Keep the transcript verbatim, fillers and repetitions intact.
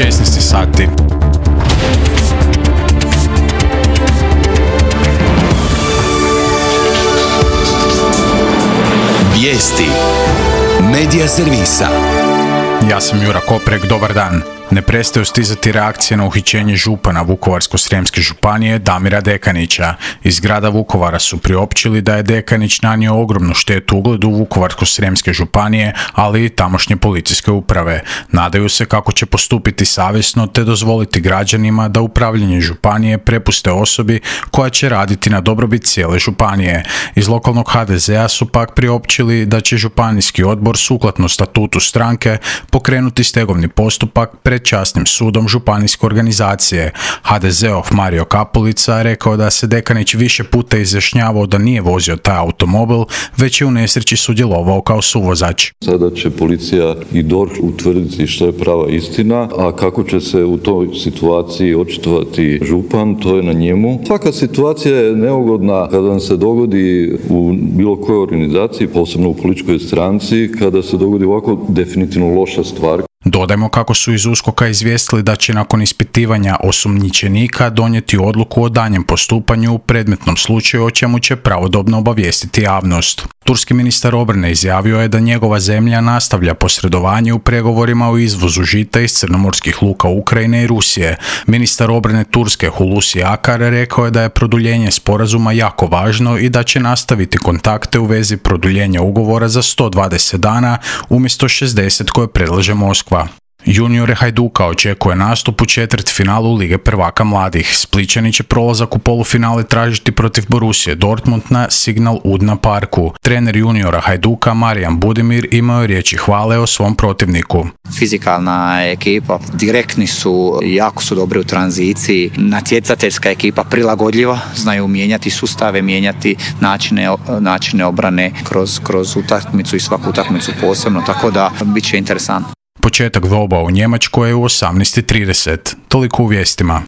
šesnaest sati. Vijesti Medija servisa. Ja sam Jura Koprek, dobar dan. Ne prestaju stizati reakcije na uhićenje župana Vukovarsko-srijemske županije Damira Dekanića. Iz grada Vukovara su priopćili da je Dekanić nanio ogromnu štetu ugledu Vukovarsko-srijemske županije, ali i tamošnje policijske uprave. Nadaju se kako će postupiti savjesno te dozvoliti građanima da upravljanje županije prepuste osobi koja će raditi na dobrobit cijele županije. Iz lokalnog ha de zea su pak priopćili da će županijski odbor sukladno statutu stranke pokrenuti stegovni postupak pred časnim sudom županijske organizacije. ha de zeov Mario Kapulica rekao da se Dekanić više puta izjašnjavao da nije vozio taj automobil, već je u nesreći sudjelovao kao suvozač. Sada će policija i D O R H utvrditi što je prava istina, a kako će se u toj situaciji očitovati župan, to je na njemu. Svaka situacija je neugodna kada vam se dogodi u bilo kojoj organizaciji, posebno u političkoj stranci, kada se dogodi ovako definitivno loša stvar. Dodajmo kako su iz USKOK-a izvijestili da će nakon ispitivanja osumnjičenika donijeti odluku o daljnjem postupanju u predmetnom slučaju, o čemu će pravodobno obavijestiti javnost. Turski ministar obrane izjavio je da njegova zemlja nastavlja posredovanje u pregovorima o izvozu žita iz crnomorskih luka Ukrajine i Rusije. Ministar obrane Turske Hulusi Akar rekao je da je produljenje sporazuma jako važno i da će nastaviti kontakte u vezi produljenja ugovora za sto dvadeset dana umjesto šezdeset koje predlaže Moskva. Juniore Hajduka očekuje nastup u četvrtfinalu Lige prvaka mladih. Splićani će prolazak u polufinale tražiti protiv Borusije Dortmund na Signal Iduna Parku. Trener juniora Hajduka Marijan Budimir imao je riječi hvale o svom protivniku. Fizikalna ekipa, direktni su, jako su dobri u tranziciji, natjecateljska ekipa, prilagodljiva, znaju mijenjati sustave, mijenjati načine, načine obrane kroz, kroz utakmicu i svaku utakmicu posebno, tako da bit će interesantno. Početak dvoboja u Njemačkoj je u osamnaest i trideset. Toliko u vijestima.